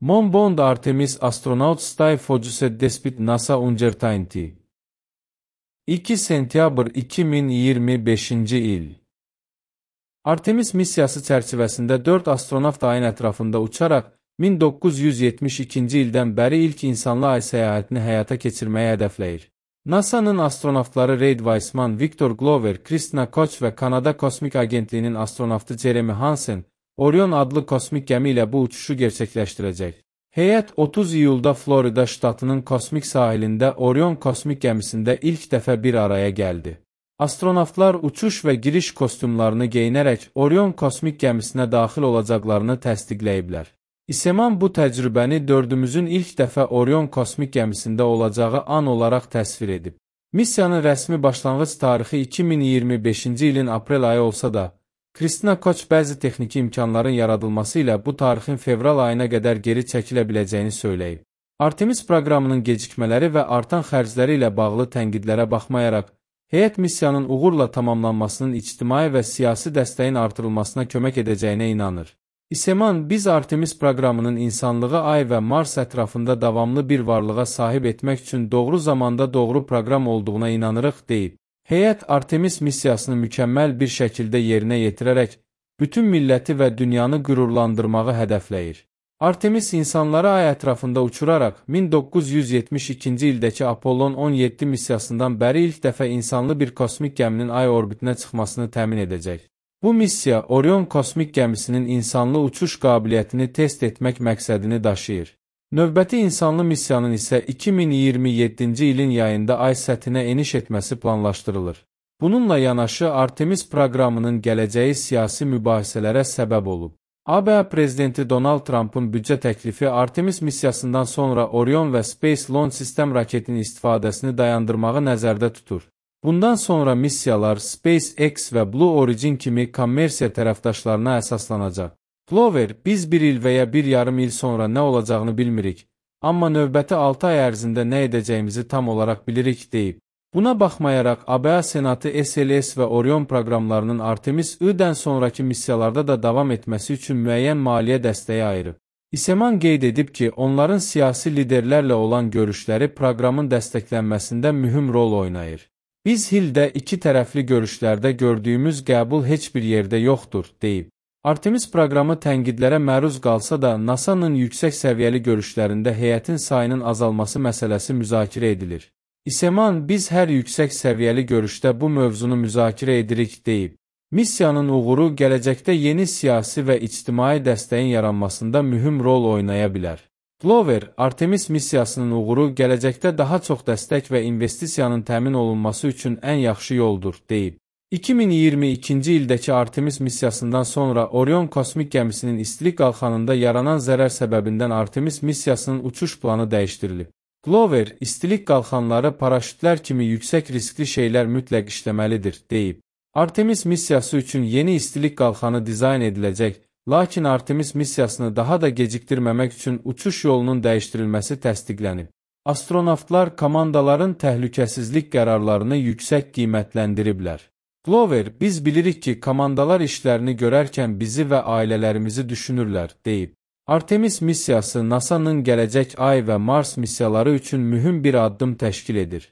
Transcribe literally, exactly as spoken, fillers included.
Mon Artemis astronavt stay focused despite NASA uncertainty. iki sentyabr iki min iyirmi beşinci il. Artemis missiyası çərçivəsində dörd astronavt ayın ətrafında uçaraq min doqquz yüz yetmiş ikinci ildən bəri ilk insanlı ay səyahətini həyata keçirməyi hədəfləyir. NASA'nın astronavtları Reid Weissman, Victor Glover, Christina Koch və Kanada Kosmik Agentliyinin astronavtı Jeremy Hansen, Orion adlı kosmik gəmi ilə bu uçuşu gerçəkləşdirəcək. Heyət otuz iyulda Florida ştatının kosmik sahilində Orion kosmik gəmisində ilk dəfə bir araya gəldi. Astronavtlar uçuş və giriş kostyumlarını geyinərək Orion kosmik gəmisinə daxil olacaqlarını təsdiqləyiblər. İSEMAN bu təcrübəni dördümüzün ilk dəfə Orion kosmik gəmisində olacağı an olaraq təsvir edib. Missiyanın rəsmi başlanğıc tarixi iki min iyirmi beşinci ilin aprel ayı olsa da, Christina Koch bəzi texniki imkanların yaradılması ilə bu tarixin fevral ayına qədər geri çəkilə biləcəyini söyləyib. Artemis proqramının gecikmələri və artan xərcləri ilə bağlı tənqidlərə baxmayaraq, heyət missiyanın uğurla tamamlanmasının ictimai və siyasi dəstəyin artırılmasına kömək edəcəyinə inanır. İSEMAN, biz Artemis proqramının insanlığı ay və Mars ətrafında davamlı bir varlığa sahib etmək üçün doğru zamanda doğru proqram olduğuna inanırıq, deyib. Heyət Artemis missiyasını mükəmməl bir şəkildə yerinə yetirərək, bütün milləti və dünyanı qürurlandırmağı hədəfləyir. Artemis insanları ay ətrafında uçuraraq min doqquz yüz yetmiş ikinci ildəki Apollon on yeddi missiyasından bəri ilk dəfə insanlı bir kosmik gəminin ay orbitinə çıxmasını təmin edəcək. Bu missiya Orion kosmik gəmisinin insanlı uçuş qabiliyyətini test etmək məqsədini daşıyır. Növbəti insanlı missiyanın isə iki min iyirmi yeddinci ilin yayında ay səthinə eniş etməsi planlaşdırılır. Bununla yanaşı Artemis proqramının gələcəyi siyasi mübahisələrə səbəb olub. ABŞ prezidenti Donald Trump'ın büdcə təklifi Artemis missiyasından sonra Orion və Space Launch System raketinin istifadəsini dayandırmağı nəzərdə tutur. Bundan sonra missiyalar SpaceX və Blue Origin kimi kommersiya tərəfdaşlarına əsaslanacaq. Glover, biz bir il və ya bir yarım il sonra nə olacağını bilmirik, amma növbəti altı ay ərzində nə edəcəyimizi tam olaraq bilirik, deyib. Buna baxmayaraq, ABŞ Senatı S L S və Orion proqramlarının Artemis I-dən sonraki missiyalarda da davam etməsi üçün müəyyən maliyyə dəstəyi ayırıb. İSEMAN qeyd edib ki, onların siyasi liderlərlə olan görüşləri proqramın dəstəklənməsində mühüm rol oynayır. Biz Hilldə iki tərəfli görüşlərdə gördüyümüz qəbul heç bir yerdə yoxdur, deyib. Artemis proqramı tənqidlərə məruz qalsa da, NASA'nın yüksək səviyyəli görüşlərində heyətin sayının azalması məsələsi müzakirə edilir. İSEMAN, biz hər yüksək səviyyəli görüşdə bu mövzunu müzakirə edirik, deyib. Missiyanın uğuru gələcəkdə yeni siyasi və ictimai dəstəyin yaranmasında mühüm rol oynaya bilər. Glover, Artemis missiyasının uğuru gələcəkdə daha çox dəstək və investisiyanın təmin olunması üçün ən yaxşı yoldur, deyib. iki min iyirmi ikinci ildəki Artemis missiyasından sonra Orion kosmik gəmisinin istilik qalxanında yaranan zərər səbəbindən Artemis missiyasının uçuş planı dəyişdirilib. Glover, istilik qalxanları paraşütlər kimi yüksək riskli şeylər mütləq işləməlidir, deyib. Artemis missiyası üçün yeni istilik qalxanı dizayn ediləcək, lakin Artemis missiyasını daha da gecikdirməmək üçün uçuş yolunun dəyişdirilməsi təsdiqlənib. Astronavtlar komandaların təhlükəsizlik qərarlarını yüksək qiymətləndiriblər. Glover, biz bilirik ki, komandalar işlərini görərkən bizi və ailələrimizi düşünürlər, deyib. Artemis missiyası NASA'nın gələcək ay və Mars missiyaları üçün mühüm bir addım təşkil edir.